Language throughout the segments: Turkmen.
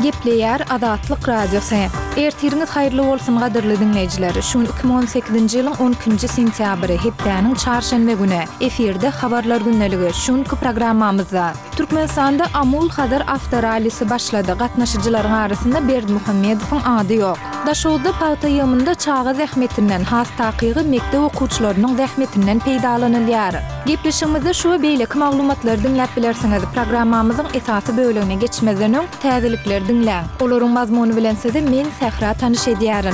Gepleýär Azatlyk Radiosy. Ertiriňiz haýyrly bolsun gadyrly diňleýjiler. Şu gün 2018-nji ýylyň 12-nji sentýabry, hepdäniň çarşenbe güni. Efirde Habarlar gündeligi. Şu günki programmamyzda. Türkmenistanda Amul-Hazar awtorallisi başlady. Gatnaşyjylaryň arasynda Berdimuhamedowyň ady ýok. Daşoguzda pagta ýygymynda çaga zähmetinden, has takygy mekdep okuwçylarynyň zähmetinden peýdalanylýar. Gepleşigimizde şu we beýleki maglumatlary diňläp bilersiňiz. Programmamyzyň esasy bölegine geçmezden öň, täzelikleri diňläň. Olaryň mazmuny bilen sizi men, Sähra tanyş edýärin.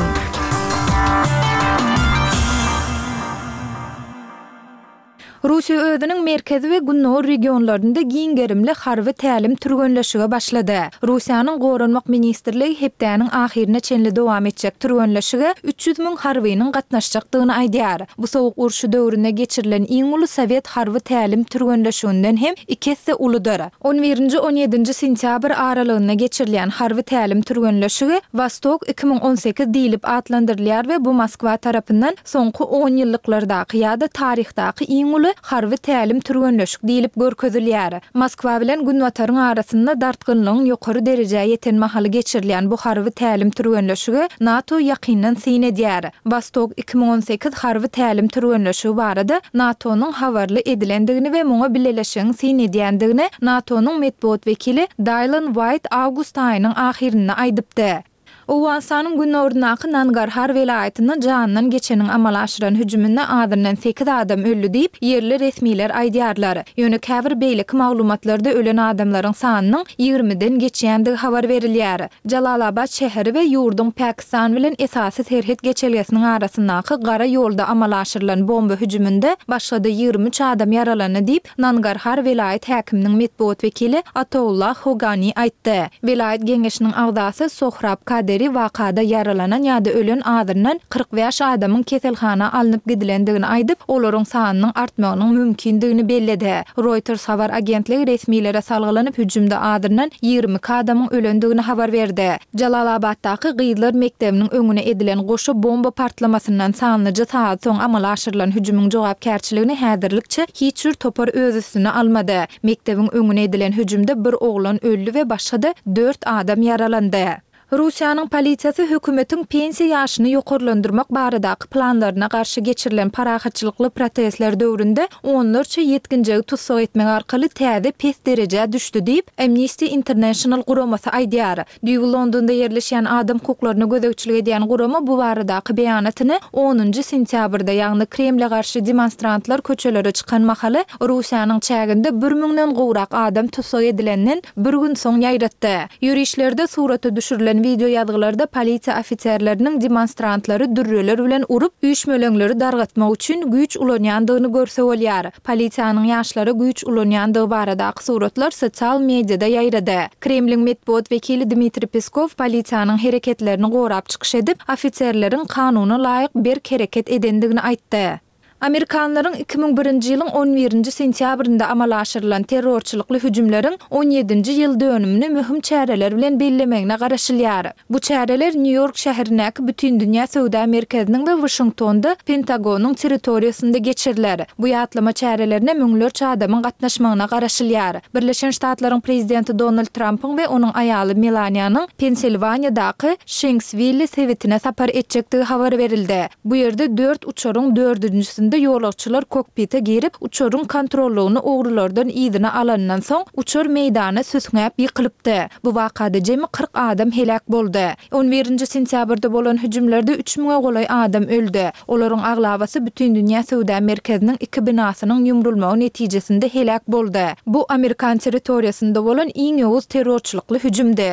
Russiýa özüniň merkezi we gündogar regionlarynda giň gerimli harby tälim-türgenleşige başlady. Russiýanyň Goranmak ministrligi hepdäniň ahyryna çenli dowam etjek türgenleşige 300 müň harbynyň gatnaşjakdygyny aýdýar. Bu Sowuk urşy döwründe geçirilen iň uly sowet harby tälim-türgenleşiginden hem iki esse uludyr. On birinji-on ýedinji sentýabr aralygynda geçirilýän harby tälim-türgenleşigi Wostok 2018 diýlip atlandyrylýar we bu Moskwa tarapyndan soňky onýyllyklardaky ýa-da taryhdaky iň uly harby tälim-türgenleşik diýlip görkezilýär. Moskwa bilen Günbataryň arasynda dartgynlygyň ýokary derejä ýeten mahaly geçirilýän bu harby tälim-türgenleşige NATO ýakyndan syn edýär. Wostok 2018 harby tälim-türgenleşigi barada NATO-nyň habarly edilendigini we muňa bileleşigiň syn edýändigini NATO-nyň metbugat wekili Daýlan Waýt awgust aýynyň ahyrynda aýdypdy. Owganystanyň günoryndaky Nangarhar welaýatynda janyndan geçeniň amala aşyran hüjüminde azyndan sekiz adam öldi diýip, ýerli resmiler aýdýarlar. Ýöne käbir beýleki maglumatlarda ölen adamlaryň sanynyň ýigrimiden geçýändigi habar berilýär. Jalalabad şäheri we ýurduň Pakistan bilen esasy serhet geçelgesiniň arasyndaky gara ýolda amala aşyrylan bomba hüjüminde başga-da 23 adam ýaralandy diýip, Nangarhar welaýat häkiminiň metbugat wekili Ataullah Hogani aýtdy. Welaýat geňeşiniň agzasy Sohrab Kaderi wakada ýaralanan ýa-da ölen azyndan 45 adamyň keselhana alnyp gidilendigini aýdyp, olaryň sanynyň artmagynyň mümkindigini belledi. Reuters habar agentligi resmilere salgylanyp, hüjümde azyndan 22 adamyň ölendigini habar berdi. Jalalabatdaky gyzlar mekdebiniň öňüne edilen goşa bomba partlamasyndan sanlyja sagat soň amala aşyrylan hüjümiň jogapkärçiligini häzirlikçe hiç bir topar öz üstüne almady. Mekdebiň öňüne edilen hüjümde bir oglan öldi we başga-da dört adam ýaralandy. Russiýanyň polisiýasy hökümetiň pensiýa ýaşyny ýokarlandyrmak baradaky planlaryna garşy geçirilen parahatçylykly protestler döwründe onlarça ýetginjegi tussag etmek arkaly täze pes derejä düşdi diýip, Amnesty International guramasy aýdýar. Düýbi Londonda ýerleşýän adam hukuklaryna gözegçilik edýän gurama bu baradaky beýanatyny onunjy sentýabrda, ýagny Kremle garşy demonstrantlar köçelere çykan mahaly Russiýanyň çäginde bir müňden gowrak adam tussag edilenden bir gün soň ýaýratdy. Ýörişlerde surata düşürilen wideoýazgylarda polisiýa ofiserleriniň demonstrantlary dürreler bilen urup, üýşmeleňleri dargatmak üçin güýç ulanýandygyny görse bolýar. Polisiýanyň ýaşlara güýç ulanýandygy baradaky suratlar sosial mediada ýaýrady. Kremliň metbugat wekili Dmitriý Peskow polisiýanyň hereketlerini gorap çykyş edip, ofiserleriň kanuna laýyk berk hereket edendigini aýtdy. Amerikanlaryň 2001-nji ýylyň on birinji sentýabrynda amala aşyrylan terrorçylykly hüjümleriň on ýedinji ýyl dönümini möhüm çäreler bilen bellemegine garaşylýar. Bu çäreler Nýu-Ýork şäherindäki Bütindünýä söwda merkeziniň we Waşingtonda Pentagonyň territoriýasynda geçiriler. Bu ýatlama çärelerine müňlerçe adamyň gatnaşmagyna garaşylýar. Birleşen Ştatlaryň Prezidenti Donald Trampyň we onuň aýaly Melaniýanyň Pensilwaniýadaky Şenkswilli sebitine sapar etjekdigi habar berildi. Bu ýerde dört uçaryň dördünjisinde ýolagçylar kokpite girip, uçaryň kontrollygyny ogrulardan yzyna alanyndan soň, uçar meýdana süsňäp ýykylypdy. Bu wakada jemi 40 adam heläk boldy. On birinji sentýabrda bolan hüjümlerde üç müňe golaý adam öldi. Olaryň aglabasy Bütindünýä söwda merkeziniň iki binasynyň ýumrulmagy netijesinde heläk boldy. Bu amerikan territoriýasynda bolan iň ýowuz terrorçylykly hüjümdi.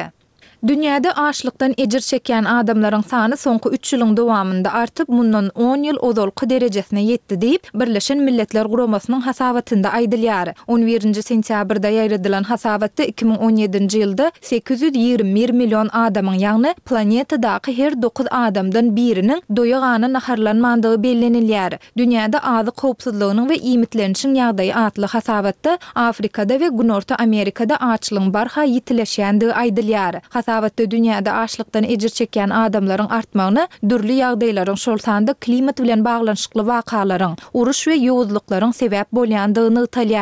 Dünýäde açlykdan ejir çekýän adamlaryň sany soňky üç ýylyň dowamynda artyp, mundan on ýyl ozalky derejesine ýetdi diýip, Birleşen Milletler Guramasynyň hasabatynda aýdylýar. On birinji sentýabrda ýaýradylan hasabatda 2017-nji ýylda 821 million adamyň, ýagny planetadaky her dokuz adamdan biriniň doýa-gana naharlanmandygy bellenilýär. Dünýäde azyk howpsuzlygynyň we iýmitlenişiň ýagdaýy atly hasabatda Afrikada we Günorta Amerikada açlygyň barha ýitileşýändigi aýdylýar. Hasabatda dünýäde açlykdan ejir çekýän adamlaryň artmagyna dürli ýagdaýlaryň, şol sanda klimat bilen baglanyşykly wakalaryň, uruş we ýowuzlyklaryň sebäp bolýandygy nygtalýar.